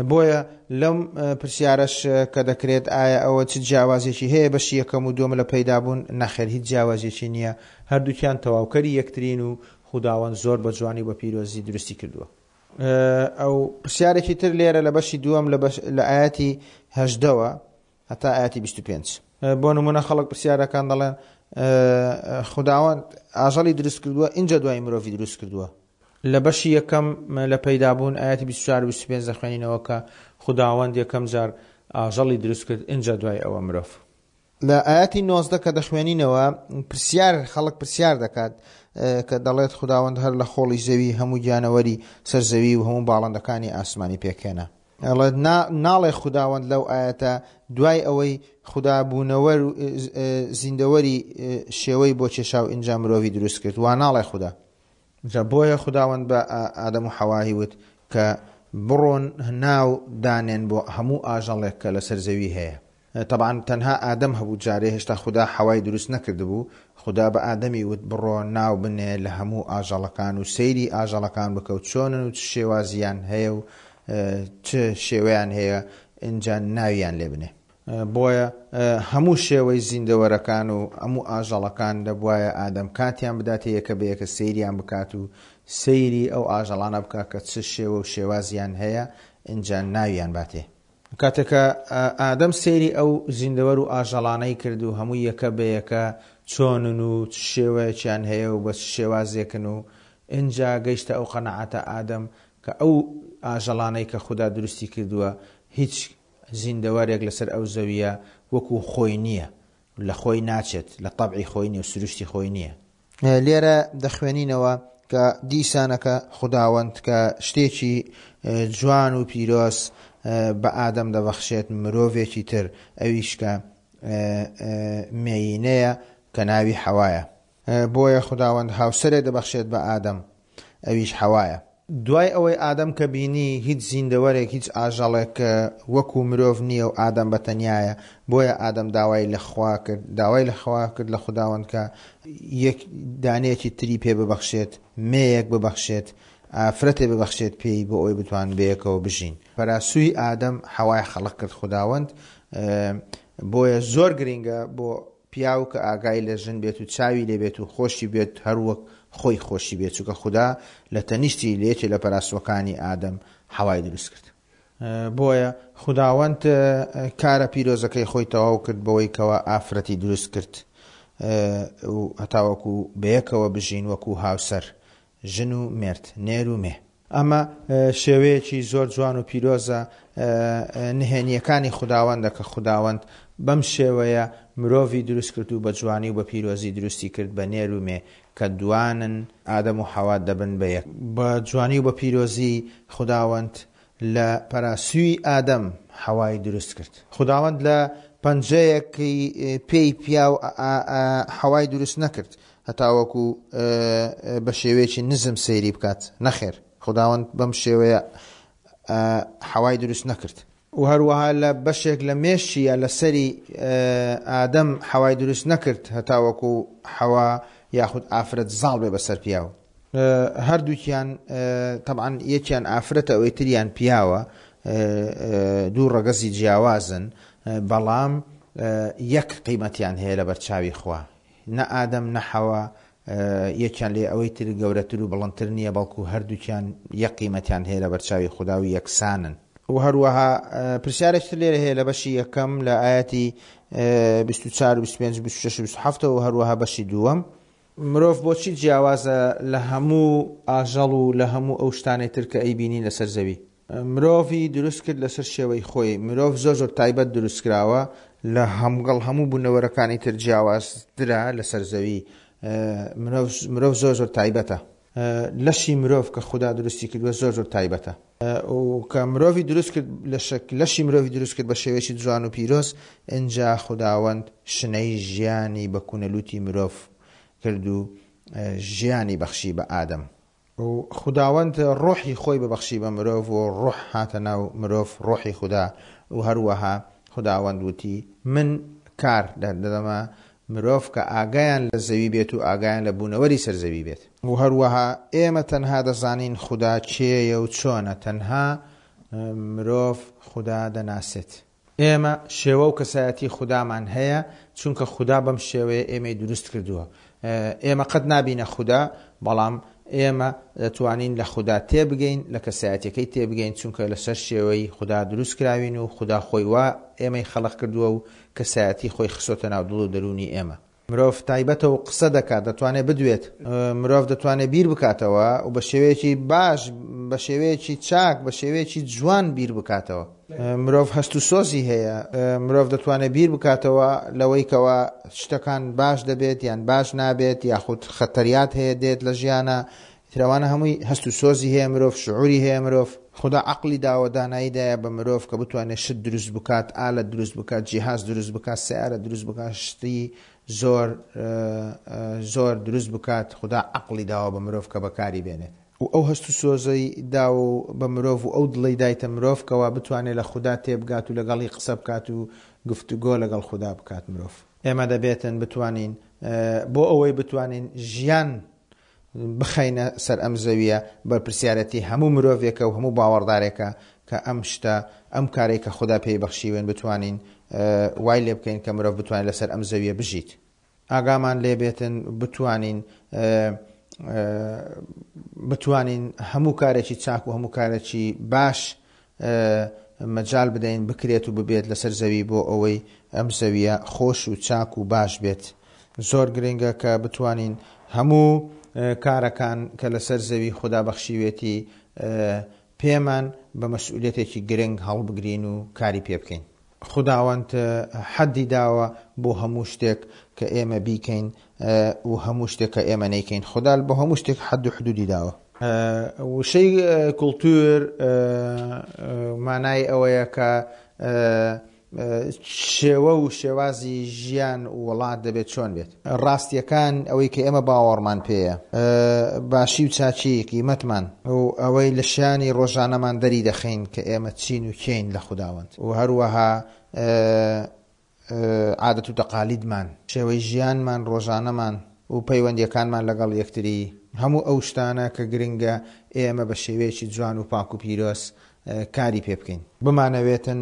بۆیە لەم پرسیارەش کە دەکرێت ئایا ئەوە چ جیاوازیەکی هەیە بەشی یەکەم و دووەم لە پەیدابوون؟ نەخێر هیچ جیاوازیەکی نییە، هەردووکیان تەواوکەری یەکترین و خوداوەند زۆر بە جوانی و بە پیرۆزی دروستی کردووە. ئەو پرسیارێکی تر لێرە لە بەشی دووەم لە ئایەتی هەژدەوە هەتا ئایەتی 25. بۆ نمونە خەڵک پرسیارەکان دەڵێن خوداوەند ئاژەڵی دروست کردووە ئینجا دوای مرۆڤی دروست کردووە. لە بەشی یەکەم لە پەیدابوون ئایەتی 24 و 25 دەخوێنینەوە کە خوداوەند یەکەم جار ئاژەڵی دروست کرد ئینجا دوای ئەوە مرۆڤ. لە ئایەتی 19 کە دەخوێنینەوە پرسیار خەڵک پرسیار دەکات کە دەڵێت خوداوەند هەر لە خۆڵی زەوی هەموو گیانەوەری سەر زەوی و هەموو باڵندەکانی ئاسمانی پێکهێنا. ئەڵێت نا ناڵێ خوداوەند لەو ئایەتە دوای ئەوەی خودا بوونەوەر و زیندەوەری شێوەی بۆ کێشا و ئینجا مرۆڤی دروست کرد وا ناڵێ خودا. جا بۆیە خوداوەند بە ئادەم و حەوای وت کە بڕۆن ناو دانێن بۆ هەموو ئاژەڵێک کە لەسەر زەوی هەیە. تەبعەن تەنها ئادەم هەبوو جارێ هێشتا خودا حەوای دروست نەکردبوو، خودا بە ئادەمی وت بڕۆ ناو بنێ لە هەموو ئاژەڵەکان و سەیری ئاژەڵەکان بکە و چۆنن و چ شێوازیان هەیە و چ شێوەیان هەیە ئینجا ناویان لێ بنێ. بۆیە هەموو شێوەی زیندەوەرەکان و هەموو ئاژەڵەکان دەبوایە ئادەم کاتیان بداتێ یەکە بە یەکە سەیریان بکات و سەیری ئەو ئاژەڵانە بکات کە چ شێوە و شێوازیان هەیە ئینجا ناویان باتێ. کاتێک کە ئادەم سەیری ئەو زیندەوەر و ئاژەڵانەی کرد و هەموو یەکە بە یەکە چۆنن و چ شێوەیەکیان هەیە و بە چ شێوازێکن و ئینجا گەیشتە ئەو قەناعەتە ئادەم کە ئەو ئاژەڵانەی کە خودا دروستی کردووە هیچ زیندەوەرێک لەسەر ئەو زەوییە وەکو خۆی نییە، لە خۆی ناچێت، لە تەبعی خۆی نییە و سروشتی خۆی نییە. لێرە دەخوێنینەوە کە دیسانەکە خوداوەند کە شتێکی جوان و پیرۆز بە ئادەم دەبەخشێت مرۆڤێکی تر ئەویش کە مێینەیە کە ناوی حەوایە. بۆیە خوداوەند هاوسەرێ دەبەخشێت بە ئادەم ئەویش حەوایە. دوای ئەوەی ئادەم کە بینی هیچ زیندەوەرێک هیچ ئاژەڵێک وەکو مرۆڤ نییە و ئادەم بە تەنیایە بۆیە ئادەم داوای لە خوا کرد داوای لە خوا کرد لە خوداوەند کە یەک دانەیەکی تری پێ ببەخشێت مێیەک ببەخشێت ئافرەتێ ببەخشێت پێی بۆ ئەوەی بتوانن بەیەکەوە بژین. پەراسووی ئادەم حەوای خەڵق کرد خوداوەند بۆیە زۆر گرینگە بۆ پیاو کە ئاگای لە ژن بێت و چاوی لێ بێت و خۆشی بێت هەر وەک خۆی خۆشی بێت چونکە خودا لە تەنیشتی لە یەکێ لە پەراسوەکانی ئادەم حەوای دروست کرد. بۆیە خوداوەند کارە پیرۆزەکەی خۆی تەواو کرد بەوەی کەوا ئافرەتی دروست کرد و هەتاوەکو بەیەکەوە بژین وەکو هاوسەر ژن و مێرد، نێر و مێ. ئەمە شێوەیەکی زۆر جوان و پیرۆزە نهێنییەکانی خوداوەندە کە خوداوەند بەم شێوەیە مرۆڤی دروست کرد و بە جوانی و بە پیرۆزی دروستی کرد بە نێر و مێ کە دوانن ئادەم و حەوا دەبن بە یەک. بە جوانی و بە پیرۆزی خوداوەند لە پەراسوی ئادەم حەوای دروست کرد. خوداوەند لە پەنجەیەکی پێی پیاو حەوای دروست نەکرد هەتاوەکو بە شێوەیەکی نزم سەیری بکات، نەخێر خوداوەند بەم شێوەیە حەوای دروست نەکرد. و هەروەها لە بەشێک لە مێشکی یا لە سەری ئادەم حەوای دروست نەکرد هەتاوەکو حەوا یاخود ئافرەت زاڵ بێ بەسەر پیاو. هەردووکیان تەبعەن یەکیان ئافرەتە ئەوەی تریان پیاوە دوو ڕەگەزی جیاوازن بەڵام یەک قیمەتیان هەیە لە بەرچاوی خوا نە ئادەم نە حەوا یەکیان لێ ئەوەی تر گەورەتر و بڵندتر نییە بەڵکو هەردووکیان یەک قیمەتیان هەیە لە بەرچاوی خودا و یەکسانن. و هەروەها پرسیارێکی تر لێرە هەیە لە بەشی یەکەم لە ئایەتی 24 و 25 و 26 و 27 و هەروەها بەشی دووەم. مرۆڤ بۆچی جیاوازە لە هەموو ئاژەڵ و لە هەموو ئەو شتانەی تر کە ئەیبینین لەسەر زەوی؟ مرۆڤی دروست کرد لەسەر شێوەی خۆی، مرۆڤ زۆر زۆر تایبەت دروست کراوە لە هەمگەڵ هەموو بوونەوەرەکانی تر جیاوازترە لەسەر زەوی، مرۆڤ زۆر زۆر تایبەتە. لەشی مرۆڤ کە خودا دروستی کردووە زۆر زۆر تایبەتە. و کە مرۆڤی دروست کرد لەشی مرۆڤی دروست کرد بە شێوەیەکی جوان و پیرۆز، ئینجا خوداوەند شنەی ژیانی بە کونەلووتی مرۆڤ کرد و ژیانی بەخشی بە ئادەم. و خوداوەند ڕۆحی خۆی ببەخشی بە مرۆڤ و ڕۆح هاتە ناو مرۆڤ، ڕۆحی خودا، و هەروەها خوداوەند وتی، من. کار دەدەمە مرۆڤ کە ئاگایان لە زەوی بێت و ئاگایان لە بوونەوەری سەر زەوی بێت. و هەروەها ئێمە تەنها دەزانین خودا کێیە و چۆنە، تەنها مرۆڤ خودا دەناسێت. ئێمە شێوە و کەسایەتی خودامان هەیە، چونکە خودا بەم شێوەیە ئێمەی دروست کردووە. ئێمە قەت نابینە خودا، بەڵام ئێمە دەتوانین لە خودا تێبگەین، لە کەسایەتیەکەی تێبگەین، چونکە لەسەر شێوەی خودا دروست کراوین و خودا خۆی وا ئێمەی خەڵق کردووە و کەسایەتی خۆی خستۆتە ناو دڵ و دەروونی ئێمە. مرۆڤ تایبەتە و قسە دەکات، دەتوانێت بدوێت. مرۆڤ دەتوانێت بیر بکاتەوە و بە شێوەیەکی باش، بە شێوەیەکی چاک، بە شێوەیەکی جوان بیر بکاتەوە. مرۆڤ هەست و سۆزی هەیە. مرۆڤ دەتوانێت بیر بکاتەوە لەوەی کەوا شتەکان باش دەبێت یان باش نابێت یاخود خەتەریات هەیە دێت لە ژیانا. ئیتر ئەوانە هەمووی هەست و سۆزی هەیە مرۆڤ، شعوری هەیە مرۆڤ. خودا عەقڵی داوە، دانایی دایە بە مرۆڤ کە بتوانێت شت دروست بکات، ئالەت دروست بکات، جیهاز دروست بکات، سەیارە دروست بکات، شتی زۆر زۆر دروست بکات، خودا عەقڵی داوە بە مرۆڤ کە بەکاری بێنێت. و ئەو هەست و سۆزەی داوە بە مرۆڤ و ئەو دڵەی دایتە مرۆڤ کەوا بتوانێت لە خودا تێبگات و لەگەڵی قسە بکات و گفتوگۆ لەگەڵ خودا بکات مرۆڤ. ئێمە دەبێتن بتوانین بۆ ئەوەی بتوانین ژیان بخەینە سەر ئەم زەویە بەرپرسیارەتی هەموو مرۆڤێکە و هەموو باوەڕدارێکە کە ئەم شتە ئەم کارەی کە خودا پێی بەخشیوێن بتوانین وای لێ بکەین کە مرۆڤ بتوانێت لەسەر ئەم زەویە بژیت ئاگامان لێ بێتن بتوانین بتوانین هەموو کارێکی چاک و هەموو کارێکی باش مەجال بدەین بکرێت و ببێت لەسەر زەوی بۆ ئەوەی ئەم زەویە خۆش و چاک و باش بێت. زۆر گرنگە کە بتوانین هەموو کارەکان کە لەسەر زەوی خودا بەخشیوێتی پێمان بە مەسئولیەتێکی گرنگ هەڵبگرین و کاری پێ بکەین. خوداوەند حەدی داوە بۆ هەموو شتێک کە ئێمە بیکەین و هەموو شتێک کە ئێمە نەیکەین. خودا بۆ هەموو شتێک حەد و حدودی داوە. وشەی کولتور مانای ئەوەیە کە شێوە و شێوازی ژیان و وڵات دەبێت چۆن بێت. ڕاستیەکان ئەوەی کە ئێمە باوەڕمان پێیە، باشی و چاکی قیمەتمان و ئەوەی لە شیانی ڕۆژانەمان دەری دەخەین کە ئێمە چین و کێین لە خوداوەند و هەروەها عادەت و تەقالیدمان، شێوەی ژیانمان ڕۆژانەمان و پەیوەندیەکانمان لەگەڵ یەکتری، هەموو ئەو شتانە کە گرنگە ئێمە بە شێوەیەکی جوان و پاک و پیرۆز کاری پێ بکەین. بمانەوێتن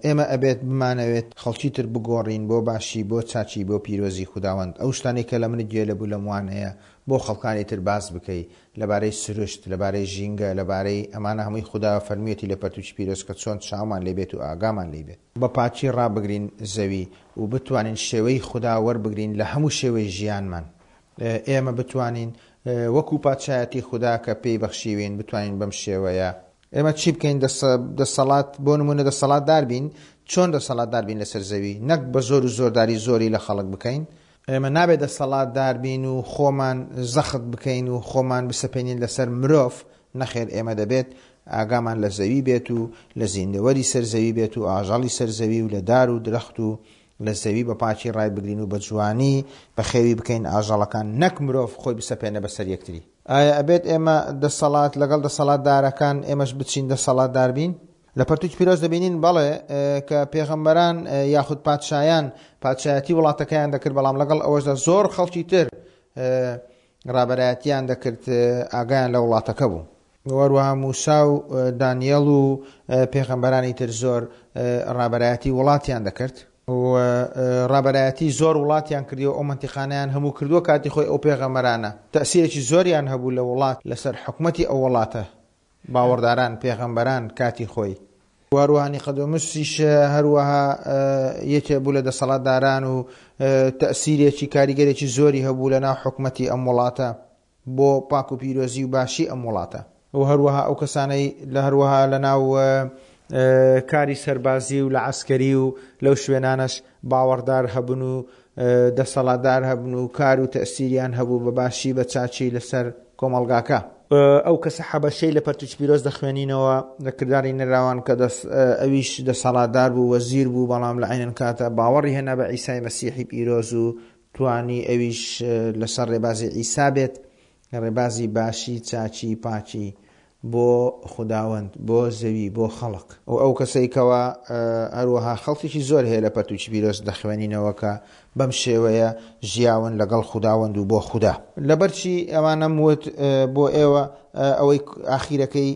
ئێمە ئەبێت بمانەوێت خەڵکی تر بگۆڕین بۆ باشی بۆ چاکی بۆ پیرۆزی خوداوەند ئەو شتانەی کە لە منت گوێ لە بوو لەم وانەیە بۆ خەڵکانی تر باس بکەی لەبارەی سروشت لەبارەی ژینگە لەبارەی ئەمانە هەمووی خودا فەرموویەتی لە پەرتوکی پیرۆز کە چۆن چاومان لێ بێت و ئاگامان لێی بێت. بە پاکی ڕابگرین زەوی و بتوانین شێوەی خودا وەربگرین لە هەموو شێوەی ژیانمان ئێمە بتوانین وەکو پادشایەتی خودا کە پێی بەخشیوین بتوانین بەم شێوەیە ئێمە چی بکەین دەسەڵات بۆ نمونە دەسەڵاتدار بین چۆن دەسەڵاتدار بین لەسەر زەوی نەک بە زۆر و زۆرداری زۆری لە خەڵک بکەین ئێمە نابێت دەسەڵاتدار بین و خۆمان زەخت بکەین و خۆمان بسەپێنین لەسەر مرۆڤ نەخێر ئێمە دەبێت ئاگامان لە زەوی بێت و لە زیندەوەری سەر زەوی بێت و ئاژەڵی سەر زەوی و لە دار و درەخت و لە زەوی بە پاکی ڕایبگرین و بە جوانی بەخێوی بکەین ئاژەڵەکان نەک مرۆڤ خۆی بسەپێنێ بەسەر یەکتری. ئایا ئەبێت ئێمە دەسەڵات لەگەڵ دەسەڵاتدارەکان ئێمەش بچین دەسەڵاتدار بین؟ لە پەرتوکی پیرۆز دەبینین بەڵێ کە پێغەمبەران یاخود پادشایان پادشایەتی وڵاتەکەیان دەکرد بەڵام لەگەڵ ئەوەشدا زۆر خەڵکی تر ڕابەرایەتیان دەکرد ئاگایان لە وڵاتەکە بوو. وەروەها موسا و دانیێڵ و پێغەمبەرانی تر زۆر ڕابەرایەتی وڵاتیان دەکرد. و ڕابەرایەتی زۆر وڵاتیان کردی و ئەو مەنتیقانەیان هەموو کردووە کاتی خۆی ئەو پێغەمبەرانە تەئسیرێکی زۆریان هەبوو لە وڵات لەسەر حکومەتی ئەو وڵاتە باوەڕداران پێغەمبەران کاتی خۆی. وەروەها نیقەدۆموسیش هەروەها یەکێ بوو لە دەسەڵاتداران و تەئسیرێکی کاریگەرێکی زۆری هەبوو لە ناو حکومەتی ئەم وڵاتە. بۆ پاک و پیرۆزی و باشی ئەم وڵاتە. و هەروەها ئەو کەسانەی لە هەروەها لە ناو کاری سەربازی و لە عەسکەری و لەو شوێنانەش باوەڕدار هەبن و دەسەڵاتدار هەبن و کار و تەئسیریان هەبوو بە باشی بە چاکی لەسەر کۆمەڵگاکە. ئەو کەسە حەبەشەی لە پەرتوکی پیرۆز دەخوێنینەوە لە کرداری نەراوان کە دەس ئەویش دەسەڵاتدار بوو وەزیر بوو بەڵام لە عەینەن کاتە باوەڕی هێنا بە عیسای مەسیحی پیرۆز و توانی ئەویش لەسەر ڕێبازی عیسا بێت، ڕێبازی باشی، چاکی، پاکی. بۆ خوداوەند، بۆ زەوی، بۆ خەڵک. و ئەو کەسەی کەوا هەروەها خەڵکێکی زۆر هەیە لە پەرتووکی پیرۆز دەخوێنینەوە کە بەم شێوەیە ژیاون لەگەڵ خوداوەند و بۆ خودا. لەبەرچی ئەوانەم وت بۆ ئێوە ئەوەی ئاخیرەکەی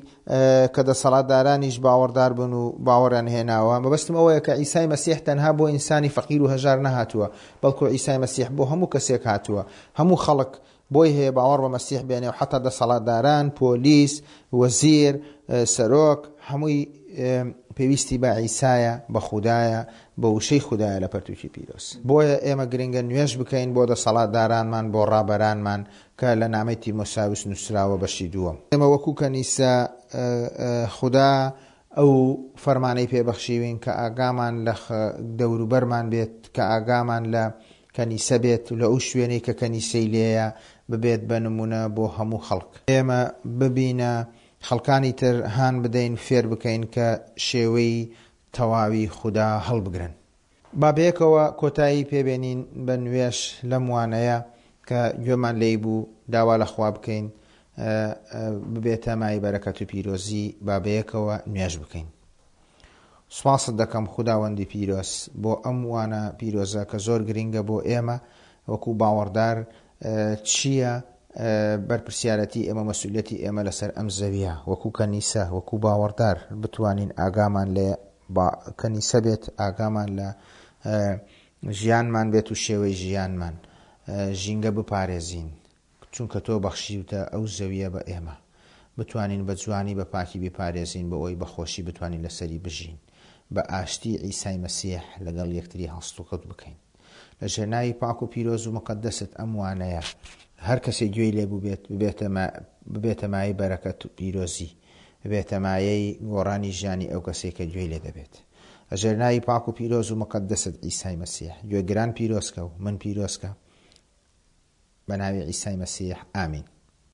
کە دەسەڵاتدارانیش باوەڕدار بن و باوەڕیان هێناوە، مەبەستم ئەوەیە کە عیسای مەسیح تەنها بۆ ئینسانی فەقیر و هەژار نەهاتووە، بەڵکو عیسای مەسیح بۆ هەموو کەسێک هاتووە، هەموو خەڵک بۆی هەیە باوەڕ بە مەسیح بێنێ و حەتا دەسەڵاتداران، پۆلیس، وەزیر، سەرۆک، هەمووی پێویستی بە عیسایە، بە خودایە، بە وشەی خودایە لە پەرتوکی پیرۆز. بۆیە ئێمە گرنگە نوێژ بکەین بۆ دەسەڵاتدارانمان، بۆ ڕابەرانمان کە لە نامەی تیمۆساوس نووسراوە بەشی دووەم. ئێمە وەکو کەنیسە خودا ئەو فەرمانەی پێ بەخشیوین کە ئاگامان لە دەوروبەرمان بێت، کە ئاگامان لە کەنیسە بێت و لە ئەو شوێنەی کە کەنیسەی لێیە ببێت بە نموونە بۆ هەموو خەڵک. ئێمە ببینە خەڵکانی تر هان بدەین فێر بکەین کە شێوەی تەواوی خودا هەڵبگرن. با بەیەکەوە کۆتایی پێ بێنین بە نوێژ لەم وانەیە کە گوێمان لێی بوو داوا لە خوا بکەین ببێتە مایەی بەرەکەت و پیرۆزی با بەیەکەوە نوێژ بکەین. سوپاست دەکەم خوداوەندی پیرۆز بۆ ئەم وانە پیرۆزە کە زۆر گرینگە بۆ ئێمە وەکو باوەڕدار چییە بەرپرسیارەتی ئێمە مەسئولیەتی ئێمە لەسەر ئەم زەویە وەکو کەنیسە وەکو باوەڕدار بتوانین ئاگامان لە کەنیسە بێت ئاگامان لە ژیانمان بێت و شێوەی ژیانمان ژینگە بپارێزین چونکە تۆ بەخشیوتە ئەو زەویە بە ئێمە بتوانین بە جوانی بە پاکی بیپارێزین بۆ ئەوەی بە خۆشی بتوانین لەسەری بژین بە ئاشتی عیسای مەسیح لەگەڵ یەکتری هەڵسوکەوت بکەین لە ژێر ناوی پاک و پیرۆز و مقەدەست ئەم وانەیە هەر کەسێک گوێی لێ بووبێت ببێتە ببێتە مایەی بەرەکەت و پیرۆزی ببێتە مایەی گۆڕانی ژیانی ئەو کەسەی کە گوێی لێ دەبێت لە ژێر ناوی پاک و پیرۆز و مقەدەست عیسای مەسیح گوێگران پیرۆزکە و من پیرۆزکە بە ناوی عیسای مەسیح ئامین.